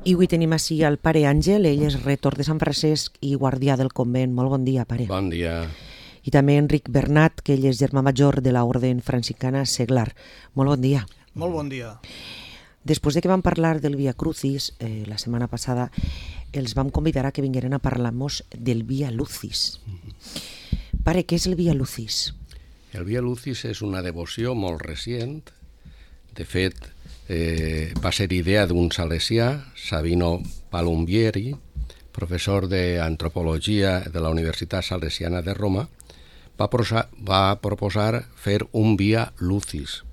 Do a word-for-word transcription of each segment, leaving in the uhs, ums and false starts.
I avui tenim així el pare Àngel, ell és retor de Sant Francesc i guardià del convent. Molt bon dia, pare. Bon dia. I també Enric Bernat, que ell és germà major de l'Orde Franciscana Seglar. Molt bon dia. Molt bon dia. Després de que vam parlar del Via Crucis eh, la setmana passada, els vam convidar a que vingueren a parlar-nos del Via Lucis. Mm-hmm. Pare, què és el Via Lucis? El Via Lucis és una devoció molt recent. De fet, eh, va ser idea d'un salesià, Sabino Palumbieri, professor d'antropologia de la Universitat Salesiana de Roma, va, prosa, va proposar fer un Via Lucis.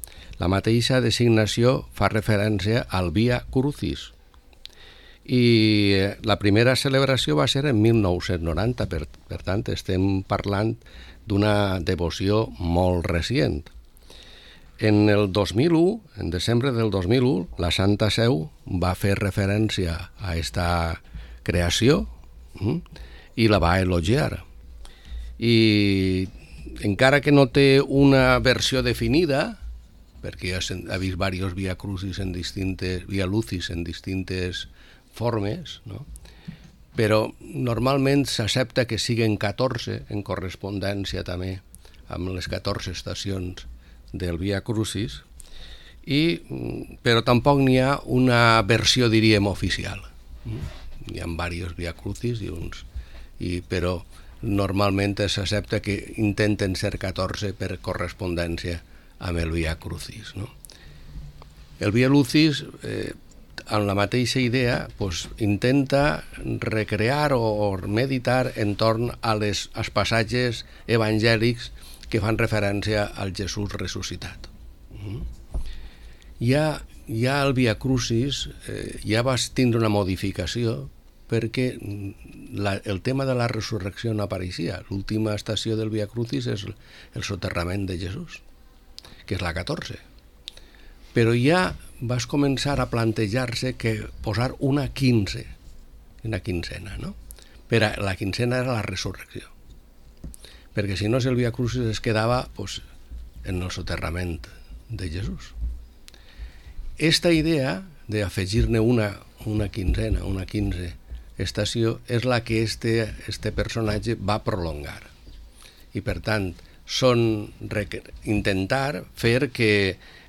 La mateixa designació fa referència al Via Crucis. I la primera celebració va ser en mil nou-cents noranta, per, per tant estem parlant d'una devoció molt recent. En el dos mil u, en desembre del dos mil u, la Santa Seu va fer referència a aquesta creació hm, i la va elogiar. I encara que no té una versió definida, perquè ha vist diversos Via Crucis en distintes, Via Lucis en distintes formes, no? Però normalment s'accepta que siguin catorze, en correspondència també amb les catorze estacions del Via Crucis, i, però tampoc n'hi ha una versió, diríem, oficial. Hi ha diversos Via Crucis, i uns, i, però normalment s'accepta que intenten ser catorze per correspondència amb el Via Crucis, no? El Via Lucis, eh, amb la mateixa idea, pues, intenta recrear o meditar entorn a les, als passatges evangèlics que fan referència al Jesús ressuscitat. Mm-hmm. Ja, ja el Via Crucis eh, ja va tindre una modificació perquè la, el tema de la resurrecció no apareixia. L'última estació del Via Crucis és el, el soterrament de Jesús, que és la catorze. Però ja vas començar a plantejar-se que posar una quinze, una quincena, no? Però la quincena era la resurrecció. Perquè si no, el Via Crucis es quedava pues, en el soterrament de Jesús. Esta idea d'afegir-ne una, una quinzena, una quinze estació, és la que este, este personatge va prolongar. I per tant, són intentar fer que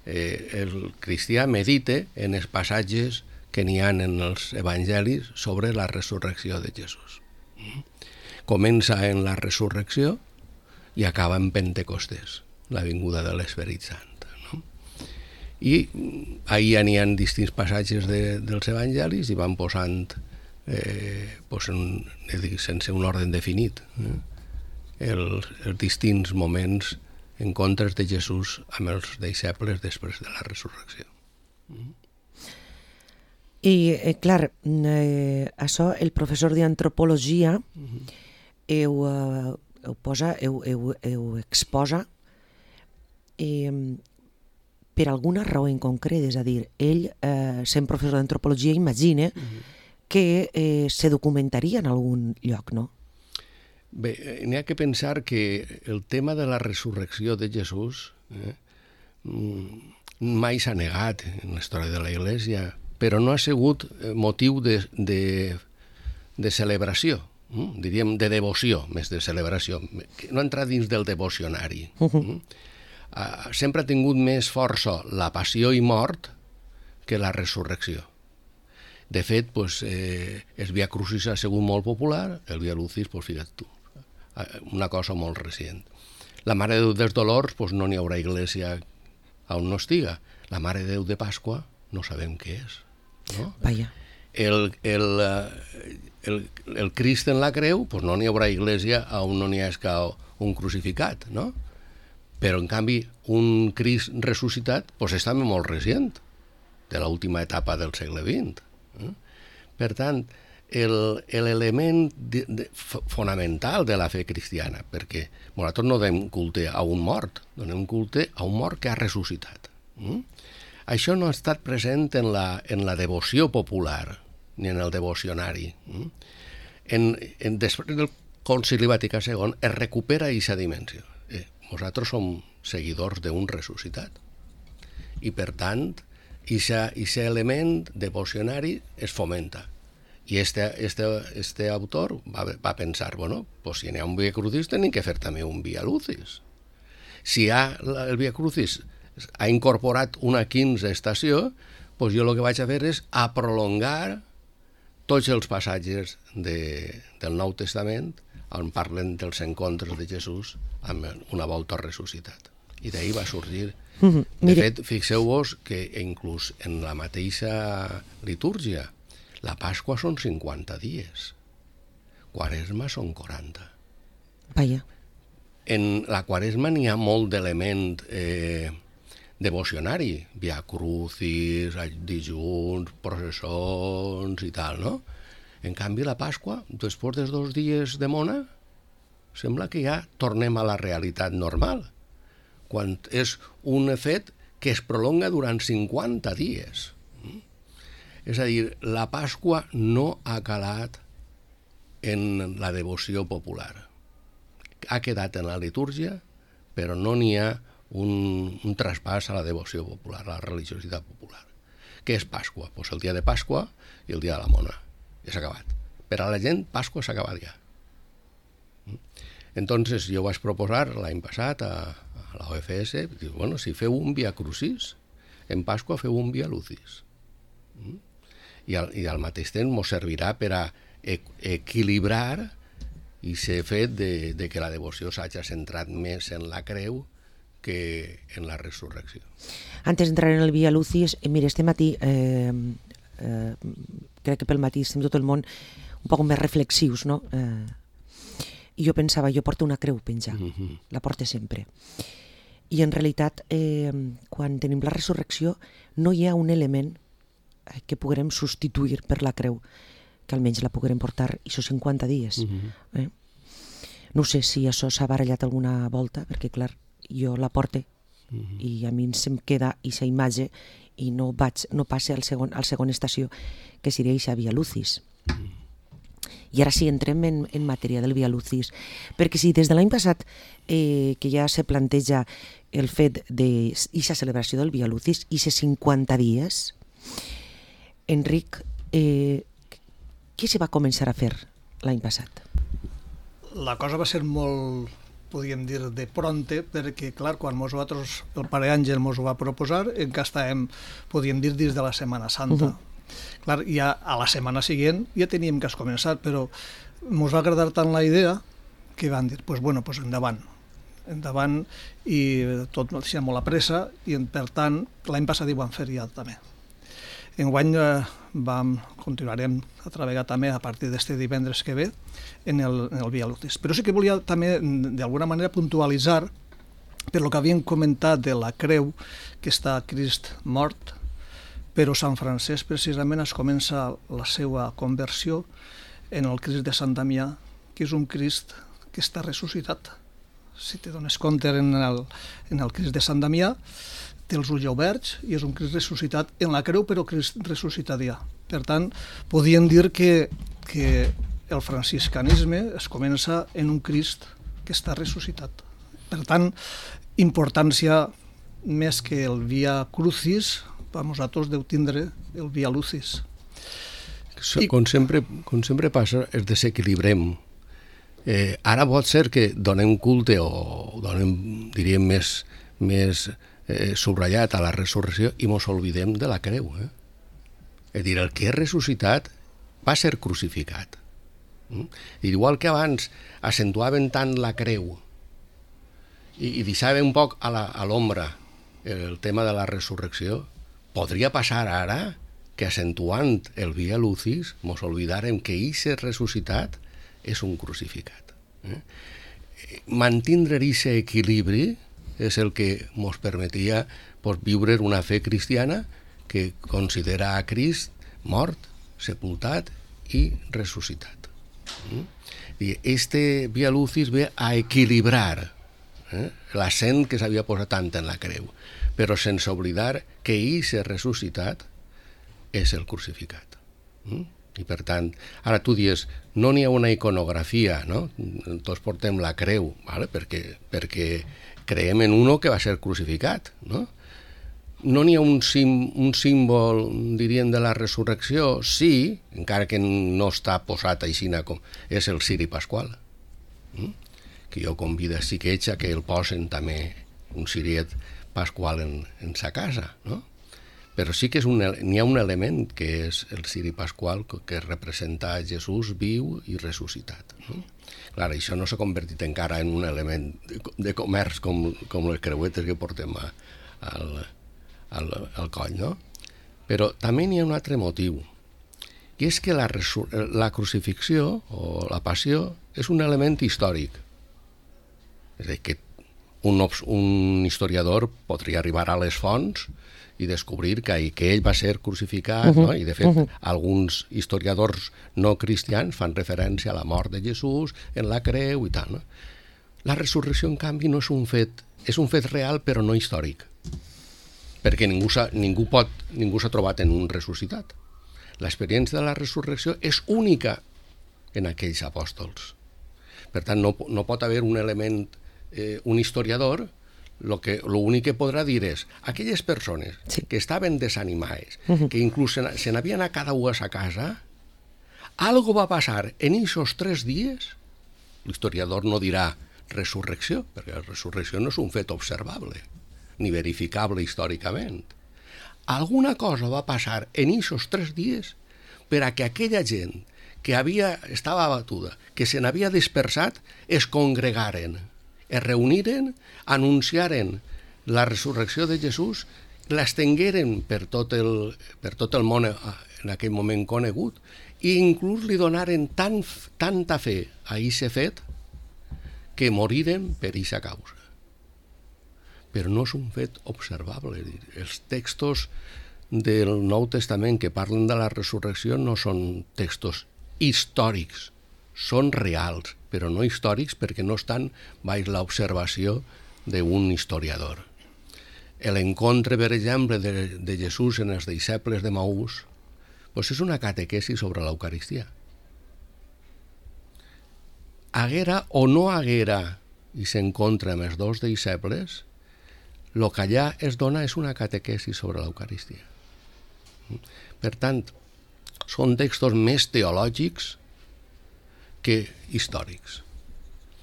eh, el cristià medite en els passatges que n'hi ha en els evangelis sobre la resurrecció de Jesús. Comença en la resurrecció i acaba en Pentecostés, la vinguda de l'Esperit Sant. No? I ahir ja n'hi ha distints passatges de, dels evangelis i van posant, eh, pues en, sense un ordre definit, eh? Els, els distints moments encontres de Jesús amb els deixebles després de la resurrecció. Mm. I, eh, clar, eh, això el professor d'antropologia mm-hmm. heu, eh, heu, posa, heu, heu, heu exposa eh, per alguna raó en concret, és a dir, ell, eh, sent professor d'antropologia, imagina mm-hmm. que eh, se documentaria en algun lloc, no? Bé, n'hi ha que pensar que el tema de la resurrecció de Jesús eh, mai s'ha negat en la història de la Iglésia, però no ha sigut motiu de, de, de celebració, eh? Diríem de devoció, més de celebració. No entra dins del devocionari. Uh-huh. Uh, sempre ha tingut més força la passió i mort que la resurrecció. De fet, pues, eh, el Via Crucis ha sigut molt popular, el Via Lucis, pues, fixa't tu, una cosa molt recent. La Mare de Déu dels Dolors, pues no n'hi haurà església on no estiga. La Mare de Déu de Pasqua no sabem què és. No? Vaya. El, el, el, el Crist en la creu, pues no n'hi haurà església on no n'hi ha un crucificat, no? Però, en canvi, un Crist ressuscitat pues és també molt recent, de l'última etapa del segle vint. Eh? Per tant, l'element fonamental de la fe cristiana, perquè nosaltres no donem culte a un mort, donem culte a un mort que ha ressuscitat. Mm? Això no ha estat present en la, en la devoció popular, ni en el devocionari. Mm? En, en, després del Concili Vaticà segon es recupera aquesta dimensió. Eh, nosaltres som seguidors d'un ressuscitat. I, per tant, i aquest element devocionari es fomenta. I este, este, este autor va, va pensar, bueno, pues si n'hi ha un Via Crucis tenim que fer també un Via Lucis. Si ha, el Via Crucis ha incorporat una quinze estació, pues jo el que vaig a fer és a prolongar tots els passatges de, del Nou Testament on parlen dels encontres de Jesús amb una volta ressuscitat. I d'ahir va sorgir. Mm-hmm. De fet, fixeu-vos que inclús en la mateixa litúrgia la Pasqua són cinquanta dies, Quaresma són quaranta. Vaja. En la Quaresma n'hi ha molt d'element eh, devocionari, Via Crucis, dijuns, processons i tal, no? En canvi, la Pasqua, després dels dos dies de mona, sembla que ja tornem a la realitat normal, quan és un fet que es prolonga durant cinquanta dies. És a dir, la Pasqua no ha calat en la devoció popular. Ha quedat en la litúrgia, però no n'hi ha un, un traspàs a la devoció popular, a la religiositat popular. Què és Pasqua? Pues el dia de Pasqua i el dia de la mona. Ja s'ha acabat. Per a la gent, Pasqua s'ha acabat ja. Entonces, jo vaig proposar l'any passat a, a la O F S, dic, bueno, si feu un Via Crucis, en Pasqua feu un Via Lucis. I al, i al mateix temps ens servirà per a e equilibrar aquest fet de, de que la devoció s'hagi centrat més en la creu que en la resurrecció. Antes d'entrar en el Via Lucis, eh, mira, este matí, eh, eh, crec que pel matí estem tot el món un poc més reflexius, no? Eh, I jo pensava, jo porto una creu penjar, mm-hmm. la porto sempre. I en realitat, eh, quan tenim la resurrecció, no hi ha un element que puguem substituir per la creu, que almenys la puguem portar aquests cinquanta dies. Mm-hmm. eh? No sé si això s'ha barallat alguna volta, perquè, clar, jo la porte mm-hmm. i a mi se'm queda aquesta imatge i no vaig, no passe al segon, al segon estació, que seria aquesta Via Lucis. Mm-hmm. I ara sí, entrem en, en matèria del Via Lucis, perquè si des de l'any passat eh, que ja se planteja el fet d'aquesta celebració del Via Lucis, i aquests cinquanta dies, Enric, eh, què se va començar a fer l'any passat? La cosa va ser molt, podríem dir, de pronte, perquè, clar, quan nosaltres, el pare Àngel ens ho va proposar, encara estàvem, podríem dir, dins de la Setmana Santa. Uh-huh. Clar, ja a la setmana següent ja teníem que començar, però ens va agradar tant la idea que van dir, pues bueno, pues endavant, endavant, i tot deixia molt a pressa, i per tant, l'any passat hi van fer ja també. Enguany eh, vam, continuarem a treballar també a partir d'este divendres que ve en el, en el Via Lucis. Però sí que volia també d'alguna manera puntualitzar per lo que havíem comentat de la creu que està Crist mort, però Sant Francesc precisament es comença la seva conversió en el Crist de Sant Damià, que és un Crist que està ressuscitat. Si te dones compte en el, en el Crist de Sant Damià, té els ulls oberts i és un Crist ressuscitat en la creu, però Crist ressuscitat ja. Per tant, podíem dir que, que el franciscanisme es comença en un Crist que està ressuscitat. Per tant, importància més que el Via Crucis, per nosaltres deu tindre el Via Lucis. I... Com, sempre, com sempre passa, es desequilibrem. Eh, ara pot ser que donem culte o donem, diríem, més, més eh, subratllat a la resurrecció i mos oblidem de la creu. Eh? És a dir, el que és ressuscitat va ser crucificat. Mm? Igual que abans accentuaven tant la creu i, i deixaven un poc a l'ombra el tema de la resurrecció, podria passar ara que accentuant el Via Lucis mos oblidarem que ixe ressuscitat és un crucificat. Eh? Mantindre aquest equilibri és el que mos permetia pues, viure una fe cristiana que considera a Crist mort, sepultat i ressuscitat. Mm? I este Via Lucis ve a equilibrar eh, l'accent que s'havia posat tant en la creu, però sense oblidar que ixe ressuscitat és el crucificat. Mm? I per tant, ara tu dius, no n'hi ha una iconografia, no? Tots portem la creu, ¿vale? perquè, perquè creiem en uno que va ser crucificat, no? no n'hi ha un, sim, un símbol, diríem, de la resurrecció? Sí, encara que no està posat així com és el ciri pasqual, mm? que jo convido a xiquets a que el posen també un ciriet pasqual en, en sa casa, no? Però sí que n'hi ha un element que és el ciri pasqual que representa Jesús viu i ressuscitat, no? Clar, això no s'ha convertit encara en un element de, de comerç com, com les creuetes que portem a, al, al, al coll, no? Però també n'hi ha un altre motiu, i és que la, la crucifixió o la passió és un element històric. És a dir, que un, un historiador podria arribar a les fonts i descobrir que, que ell va ser crucificat, uh-huh, no? I de fet uh-huh. alguns historiadors no cristians fan referència a la mort de Jesús en la creu i tal, no? La resurrecció, en canvi, no és un fet, és un fet real però no històric, perquè ningú s'ha, ningú pot, ningú s'ha trobat en un ressuscitat. L'experiència de la resurrecció és única en aquells apòstols. Per tant, no, no pot haver un element, eh, un historiador. Lo que, lo únic que podrà dir és aquelles persones sí. que estaven desanimades, uh-huh. que inclús se, se n'havien a cada una a sa casa, algo va passar en esos tres dies. L'historiador no dirà resurrecció, perquè la resurrecció no és un fet observable ni verificable històricament. Alguna cosa va passar en esos tres dies per a que aquella gent que havia, estava abatuda, que se n'havia dispersat, es congregaren, es reuniren, anunciaren la resurrecció de Jesús, l'estengueren per tot el, per tot el món en aquell moment conegut i inclús li donaren tan, tanta fe a aquest fet que moriren per aquesta causa. Però no és un fet observable. Els textos del Nou Testament que parlen de la resurrecció no són textos històrics, són reals, però no històrics perquè no estan baix l'observació d'un historiador. L'encontre, per exemple, de, de Jesús en els deixebles de Maús doncs és una catequesi sobre l'Eucaristia. Haguera o no haguera i s'encontra amb els dos deixebles, el que allà es dona és una catequesi sobre l'Eucaristia. Per tant, són textos més teològics que històrics.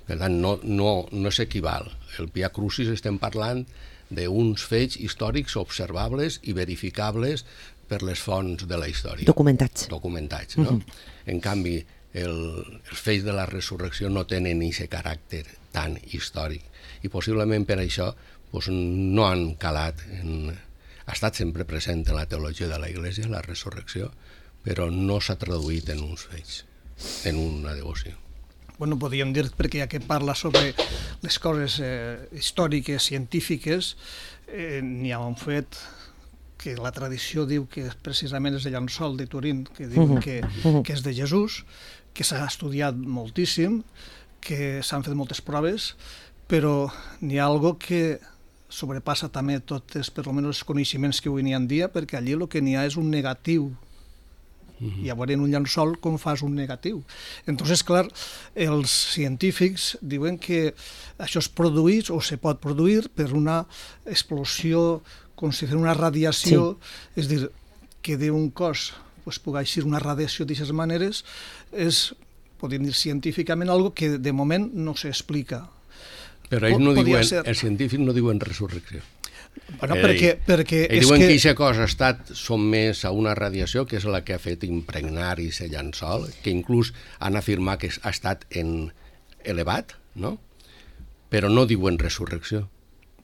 Per tant, no, no, no s'equival. El Via Crucis estem parlant d'uns fets històrics observables i verificables per les fonts de la història. Documentats. Documentats, no? Uh-huh. En canvi, el, els fets de la resurrecció no tenen aquest caràcter tan històric. I possiblement per això doncs, no han calat. En, ha estat sempre present en la teologia de la Iglesia, la resurrecció, però no s'ha traduït en uns fets, en una devoció. Bueno, podríem dir, perquè ja que parla sobre les coses eh, històriques, científiques, eh, n'hi ha un fet que la tradició diu que precisament és el llençol de Turín, que diuen que, que és de Jesús, que s'ha estudiat moltíssim, que s'han fet moltes proves, però n'hi ha algo que sobrepassa també tots, per almenys, els coneixements que avui n'hi ha en dia, perquè allí el que n'hi ha és un negatiu. I llavors en un llençol com fas un negatiu. Entonces, clar, els científics diuen que això es produeix o se pot produir per una explosió, com si fos una radiació, sí. És dir, que d'un cos pues, pugui eixir una radiació d'aquestes maneres, és, podríem dir científicament, algo que de moment no s'explica. Però ells no diuen, els científics no diuen resurrecció. Bueno, perquè, perquè ells diuen que aquesta cosa ha estat sotmès a una radiació que és la que ha fet impregnar i ser llençol, que inclús han afirmat que ha estat en elevat, no? Però no diuen resurrecció.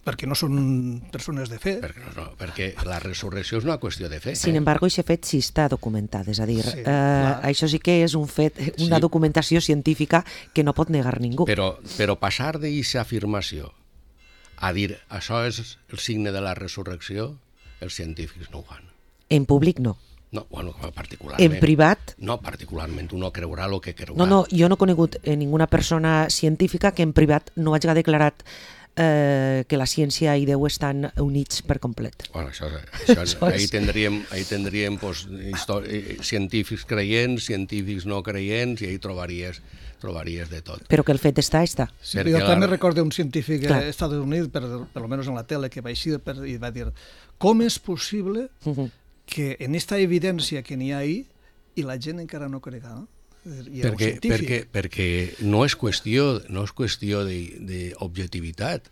Perquè no són persones de fe. Perquè, no, no, perquè la resurrecció és una qüestió de fe. Sin eh? embargo, aquest fet sí està documentat, és a dir, sí, eh, això sí que és un fet, una sí. documentació científica que no pot negar ningú. Però, però passar d'aquesta afirmació a dir això és el signe de la resurrecció, els científics no ho fan. En públic no. No, bueno, particularment. En privat? No, particularment, uno creurà el que creurà. No, no, jo no he conegut ninguna persona científica que en privat no hagi declarat eh, que la ciència i Déu estan units per complet. Bueno, això, això, això ahí tindríem, ahí tindríem pues, científics creients, científics no creients, i ahí trobaries trobaries de tot. Però que el fet està, està. Sí, jo la... també recordo un científic als Estats Units, per, per almenys en la tele, que va eixir per, i va dir com és possible que en esta evidència que n'hi ha ahí i la gent encara no crega, no? Perquè, perquè, perquè no és qüestió, no és qüestió d'objectivitat.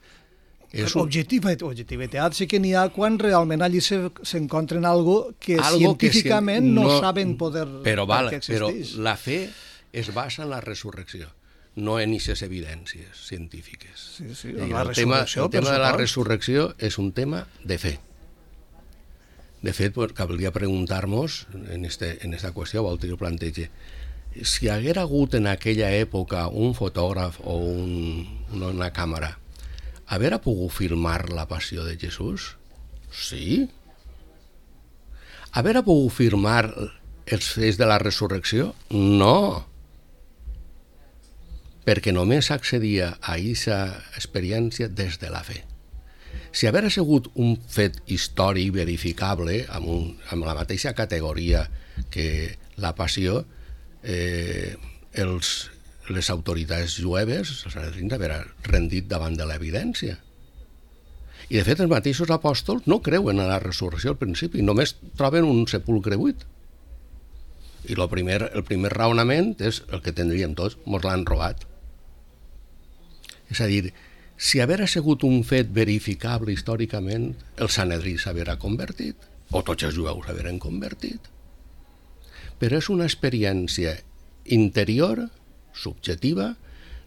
Un... Objectivitat, objectivitat sí que n'hi ha quan realment allí s'encontren se, algo que algo científicament que si, no, no saben poder... Però, val, però la fe es basa en la resurrecció, no en aquestes evidències científiques. Sí, sí, el tema, el tema de la resurrecció és un tema de fe. De fet, pues, caldria preguntar-nos en, este, en esta qüestió, Walter ho planteja, si haguera hagut en aquella època un fotògraf o un, una càmera, haguera pogut filmar la passió de Jesús? Sí. Haguera pogut filmar els fets de la resurrecció? No. Perquè només accedia a aquesta experiència des de la fe. Si haguera sigut un fet històric verificable, amb, un, amb la mateixa categoria que la passió, eh, els, les autoritats jueves, els sanedrins, hagueren rendit davant de l'evidència. I, de fet, els mateixos apòstols no creuen en la resurrecció al principi, només troben un sepulcre buit. I el primer, el primer raonament és el que tindríem tots, mos l'han robat. És a dir, si haguera sigut un fet verificable històricament, el Sanedrí s'haguera convertit, o tots els jueus s'hagueren convertit. Però és una experiència interior, subjetiva,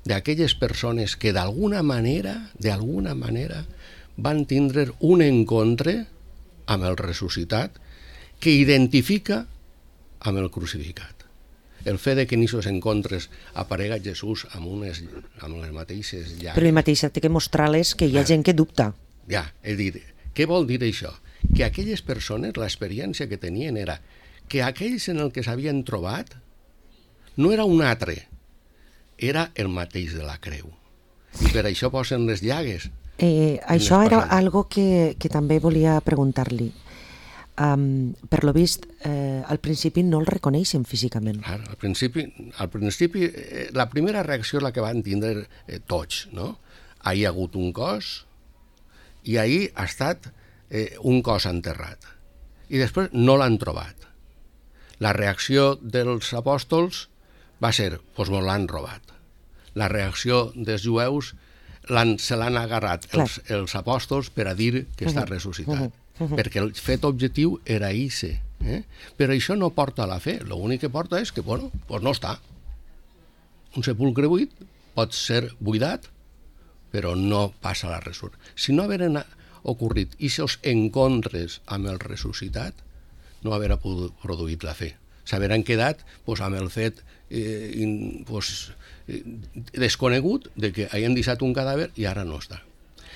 d'aquelles persones que d'alguna manera, d'alguna manera, van tindre un encontre amb el ressuscitat que identifica amb el crucificat. El fet de que en aquests encontres aparega Jesús amb, unes, amb les mateixes llagues... Però ell mateix té que mostrar-les que hi ha gent que dubta. Ja, és dir, què vol dir això? Que aquelles persones, l'experiència que tenien era que aquells en el que s'havien trobat no era un altre, era el mateix de la creu. I per això posen les llagues. Eh, això era algo que, que també volia preguntar-li. Um, per lo vist, eh, al principi no el reconeixen físicament. Clar, al principi, al principi eh, la primera reacció és la que van tindre eh, tots, no? Ahir ha hagut un cos i ahir ha estat eh, un cos enterrat. I després no l'han trobat. La reacció dels apòstols va ser, doncs mos l'han robat. La reacció dels jueus se l'han agarrat els, els apòstols per a dir que està ressuscitat. Uh-huh. Perquè el fet objectiu era ese. Eh? Però això no porta a la fe. L'únic que porta és que, bueno, doncs no està. Un sepulcre buit pot ser buidat, però no passa la resurrecció. Si no hagueren ocorrit aquests encontres amb el ressuscitat, no haguera produït la fe. S'hagueren quedat pues, amb el fet eh, in, pues, eh, desconegut de que havien deixat un cadàver i ara no està.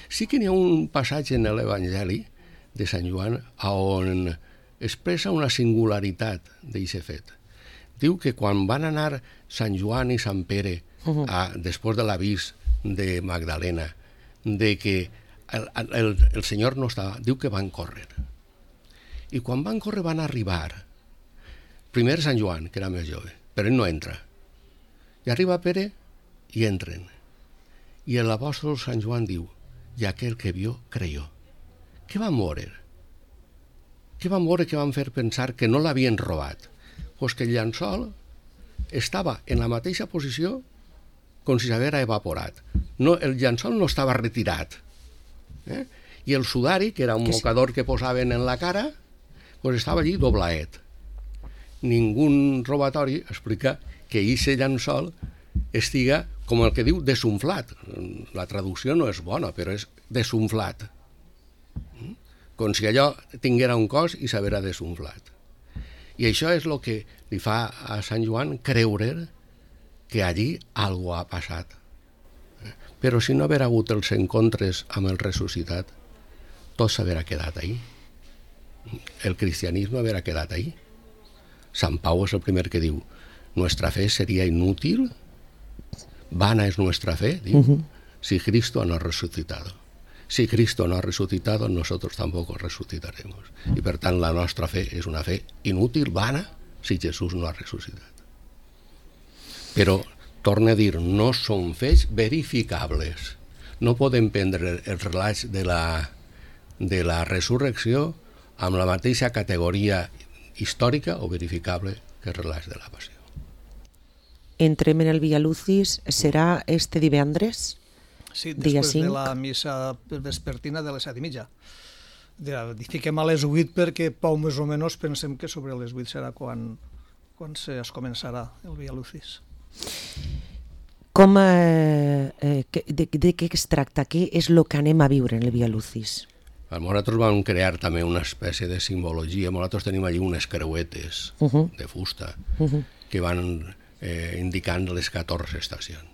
Sí que n'hi ha un passatge en l'Evangeli de Sant Joan on expressa una singularitat d'aquest fet. Diu que quan van anar Sant Joan i Sant Pere a, després de l'avís de Magdalena de que el, el, el Senyor no estava, diu que van córrer. I quan van córrer van arribar primer Sant Joan, que era més jove, però ell no entra. I arriba Pere i entren. I l'apòstol Sant Joan diu, i aquell que vio creyó. Què van veure? Què van veure que van fer pensar que no l'havien robat? Pues que el llençol estava en la mateixa posició com si s'haguera evaporat. No, el llençol no estava retirat. Eh? I el sudari, que era un que mocador sí. que posaven en la cara, pues estava allí doblaet. Ningú robatori explica que aquest llençol estiga, com el que diu, desunflat. La traducció no és bona, però és desunflat. Com si allò tinguera un cos i s'haguera desunflat. I això és el que li fa a Sant Joan creure que allí algo ha passat. Però si no haguera hagut els encontres amb el ressuscitat, tot s'haguera quedat ahí. El cristianisme haguera quedat ahí. Sant Pau és el primer que diu, nuestra fe sería inútil, vana es nuestra fe, diu, uh-huh. si Cristo no ha resucitado. Si Cristo no ha resucitado, nosotros tampoco resucitaremos. I per tant la nostra fe és una fe inútil, vana, si Jesús no ha resucitat. Però, torno a dir, no són fets verificables. No podem prendre els relats de la, de la resurrecció amb la mateixa categoria històrica o verificable que els relats de la Passió. Entrem en el Via Lucis, serà este divendres? Sí, dia després cinc. de la missa vespertina de les set i mitja. Fiquem a les vuit perquè pau més o menys pensem que sobre les vuit serà quan, quan es començarà el Via Lucis. Com, eh, eh, de, de què es tracta? Què és el que anem a viure en el Via Lucis? Nosaltres vam crear també una espècie de simbologia. Nosaltres tenim allí unes creuetes uh -huh. de fusta uh -huh. que van eh, indicant les catorze estacions.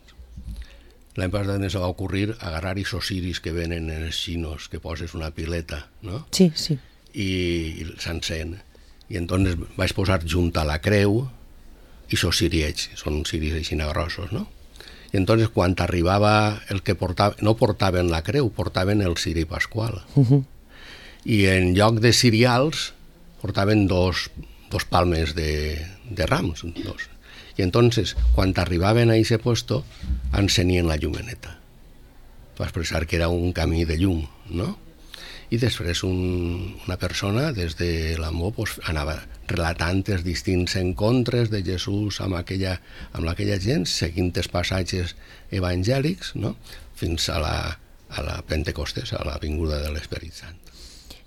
L'any passat ens va ocorrir agarrar aquests ciris que venen en els xinos, que poses una pileta, no? Sí, sí. I, i s'encén. I entonces vaig posar junt a la creu i sos ciriets, són ciris així grossos, no? I entonces quan arribava el que portava, no portaven la creu, portaven el ciri pasqual. Uh -huh. I en lloc de cirials portaven dos, dos palmes de, de rams, dos. I entonces, quan arribaven a aquest puesto, encenien la llumeneta. Va expressar que era un camí de llum, no? I després un, una persona des de l'Amor pues, anava relatant els distints encontres de Jesús amb aquella, amb aquella gent, seguint els passatges evangèlics, no? Fins a la, a la Pentecostés, a la vinguda de l'Esperit Sant.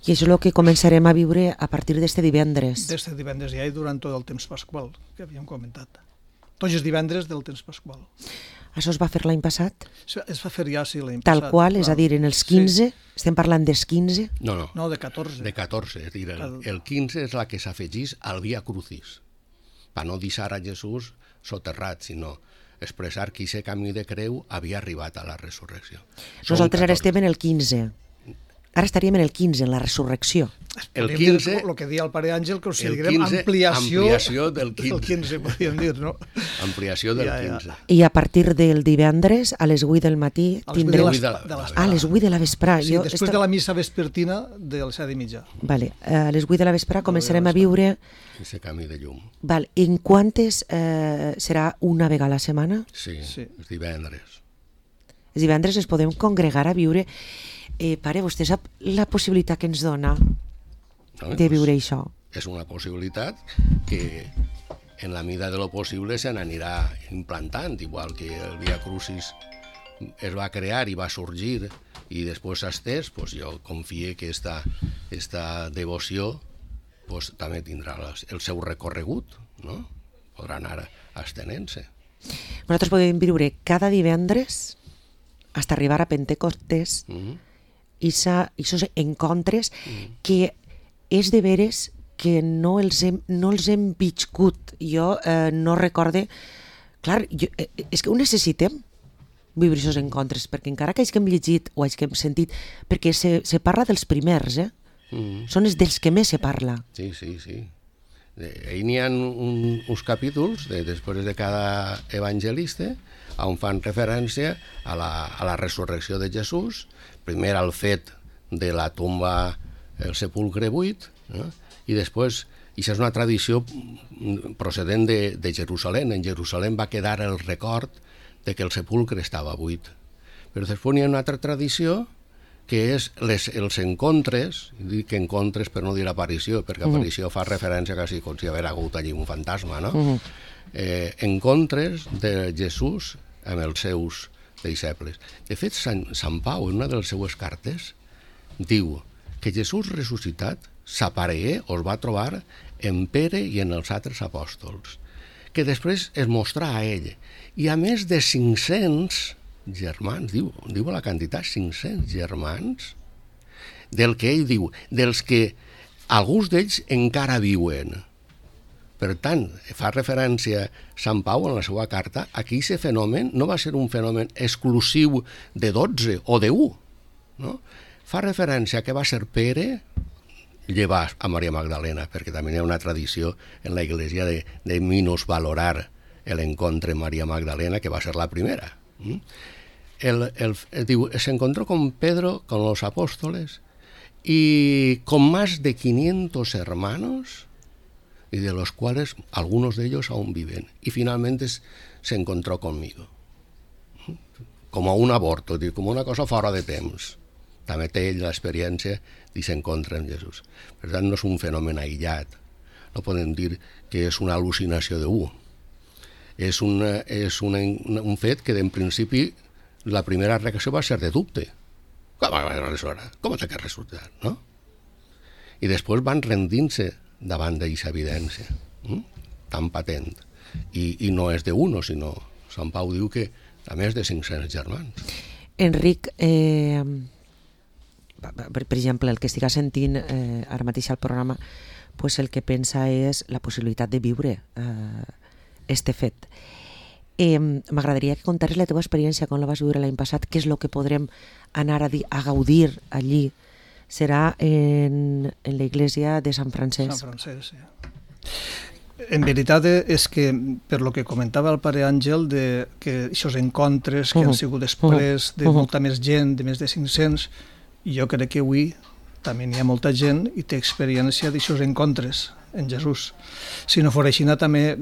I això és el que començarem a viure a partir d'este divendres. D'este divendres ja i durant tot el temps pasqual, que havíem comentat. Tots els divendres del temps pasqual. Això es va fer l'any passat? Es va fer ja, sí, l'any Tal passat. Tal qual, és a dir, en els quinze, sí. Estem parlant dels quinze? No, no. No, de catorze. De catorze, és dir, el, el quinze és la que s'afegís al Via Crucis, per no deixar a Jesús soterrat, sinó expressar que aquest camí de creu havia arribat a la resurrecció. Nosaltres ara estem en el quinze. Ara estaríem en el quinze, en la resurrecció. El quinze... El que deia el pare Àngel, que ho seguirem, ampliació, ampliació del quinze. del quinze, podríem dir, no? Ampliació del ja, ja. quinze. I a partir del divendres, a les vuit del matí, tindrem... A les vuit de la, ah, a les vuit de la vesprà. Sí, jo després esta... de la missa vespertina de les set i mitja. Vale. A les vuit de la vesprà començarem a viure... Ese camí de llum. Val. En quantes eh, serà una vegada a la setmana? Sí, sí, els divendres. Els divendres es podem congregar a viure... Eh, pare, vostè sap la possibilitat que ens dona no, de viure pues, això? És una possibilitat que en la mida de lo possible se n'anirà implantant, igual que el Via Crucis es va crear i va sorgir i després s'ha estès, pues jo confio que esta, esta devoció pues, també tindrà el seu recorregut, no? Podrà anar estenent-se. Nosaltres podem viure cada divendres fins a arribar a Pentecostés mm-hmm. i aquests encontres mm. que és de veres que no els hem, no els hem viscut. Jo eh, no recorde... Clar, jo, eh, és que ho necessitem, viure aquests encontres, perquè encara que hàgim llegit o hàgim sentit, perquè se, se parla dels primers, eh? Mm. Són els dels que més se parla. Sí, sí, sí. Ahí n'hi ha un, uns capítols, de, després de cada evangelista, on fan referència a la, a la resurrecció de Jesús, primer al fet de la tomba, el sepulcre buit, no? I després, i això és una tradició procedent de, de Jerusalem. En Jerusalem va quedar el record de que el sepulcre estava buit. Però després hi ha una altra tradició que és les, els encontres, dic encontres per no dir aparició, perquè aparició fa referència quasi com si hagués hagut allí un fantasma, no? Uh-huh. eh, encontres de Jesús amb els seus deixebles. De fet, Sant, Sant Pau, en una de les seues cartes, diu que Jesús ressuscitat s'aparegué o es va trobar en Pere i en els altres apòstols, que després es mostrà a ell. I a més de cinc-cents germans, diu, diu la quantitat, cinc-cents germans, del que ell diu, dels que alguns d'ells encara viuen. Per tant, fa referència Sant Pau en la seva carta, aquí aquest fenomen no va ser un fenomen exclusiu de dotze o de u, no? Fa referència que va ser Pere llevar a Maria Magdalena, perquè també hi ha una tradició en la Iglesia de, de minusvalorar l'encontre Maria Magdalena, que va ser la primera. El, el, el, diu, se encontró con Pedro, con los apóstoles, y con más de quinientos hermanos, y de los cuales algunos de ellos aún viven. Y finalmente se encontró conmigo. Como un aborto, como una cosa fora de temps. també té ell l'experiència d'aquest encontre amb Jesús. Per tant, no és un fenomen aïllat. No podem dir que és una al·lucinació d'u. És, una, és una, un fet que, en principi, la primera reacció va ser de dubte. Com, com té que resultar, no? I després van rendint-se davant d'aquesta evidència, hm? tan patent. I, I no és d'un, sinó Sant Pau diu que a més de cinc-cents germans. Enric, eh, per, per exemple, el que estiga sentint eh, ara mateix al programa, pues el que pensa és la possibilitat de viure eh, este fet. Eh, M'agradaria que contares la teva experiència, com la vas viure l'any passat, què és el que podrem anar a, dir, a gaudir allí. Serà en, en la iglesia de Sant Francesc. Sant Francesc, sí. En veritat és que, per lo que comentava el pare Àngel, de que aquests encontres que uh -huh. han sigut després de uh -huh. molta més gent, de més de cinc-cents, jo crec que avui també hi ha molta gent i té experiència d'aquests encontres en Jesús. Si no fos així, també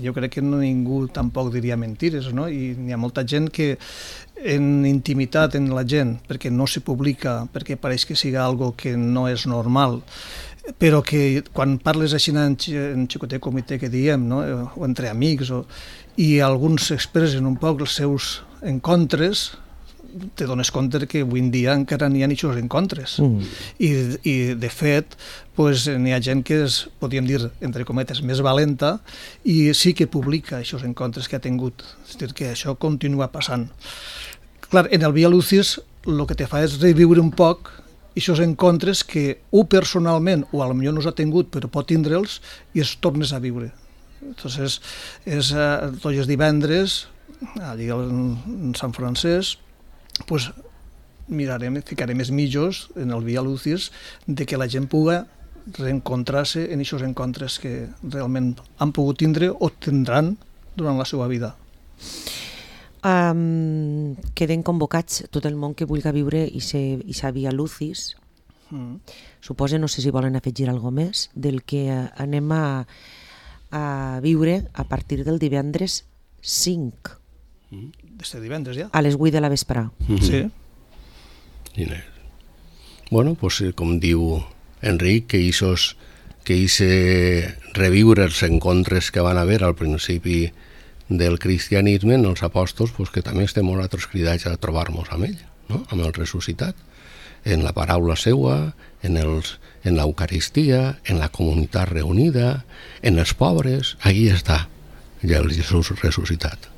jo crec que no, ningú tampoc diria mentires, no? I hi ha molta gent que en intimitat en la gent, perquè no se publica, perquè pareix que siga algo que no és normal, però que quan parles així en, en xicotet comitè que diem, no? O entre amics, o, i alguns expressen un poc els seus encontres, te dones compte que avui en dia encara n'hi ha aquests encontres. Mm. I, I, de fet, pues, n'hi ha gent que és, podríem dir, entre cometes, més valenta i sí que publica aquests encontres que ha tingut. És a dir, que això continua passant. Clar, en el Via Lucis el que te fa és reviure un poc aquests encontres que un personalment, o potser no s'ha tingut, però pot tindre'ls, i es tornes a viure. Entonces, és eh, tots els divendres, allí en Sant Francesc, pues mirarem, ficarem els mitjos en el Via Lucis de que la gent pugui reencontrar-se en aquests encontres que realment han pogut tindre o tindran durant la seva vida. Um, queden convocats tot el món que vulgui viure aquesta Via Lucis. Mm. Suposo, no sé si volen afegir alguna cosa més, del que anem a, a viure a partir del divendres cinc. Mm. Este divendres ja. A les vuit de la vesprà. Mm-hmm. Sí. Inés. Bueno, pues, com diu Enric, que isos, que ise reviure els encontres que van haver al principi del cristianisme en els apòstols, pues, que també estem nosaltres cridats a trobar-nos amb ell, no? Amb el ressuscitat, en la paraula seua, en, els, en l'Eucaristia, en la comunitat reunida, en els pobres, allí està ja el Jesús ressuscitat.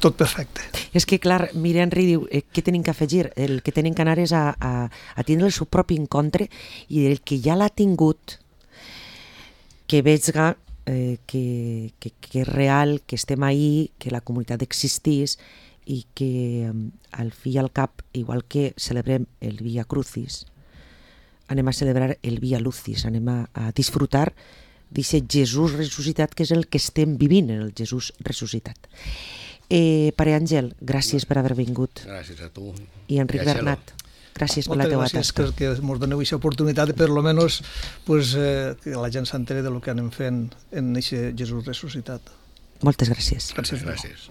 Tot perfecte. És que, clar, mira, Enri diu, eh, què tenim que afegir? El que tenim que anar és a, a, a tindre el seu propi encontre i el que ja l'ha tingut, que vega eh, que, que, que és real, que estem ahí, que la comunitat existís i que al fi i al cap, igual que celebrem el Via Crucis, anem a celebrar el Via Lucis, anem a, a disfrutar d'aquest Jesús ressuscitat, que és el que estem vivint, el Jesús ressuscitat. Eh, Pare Àngel, gràcies per haver vingut. Gràcies a tu. I Enric Bernat, gràcies per la teva tasca. Moltes gràcies que ens doneu aquesta oportunitat de, per lo menos, pues, eh, que la gent s'entere del que anem fent en aquest Jesús ressuscitat. Moltes gràcies. Gràcies. Gràcies.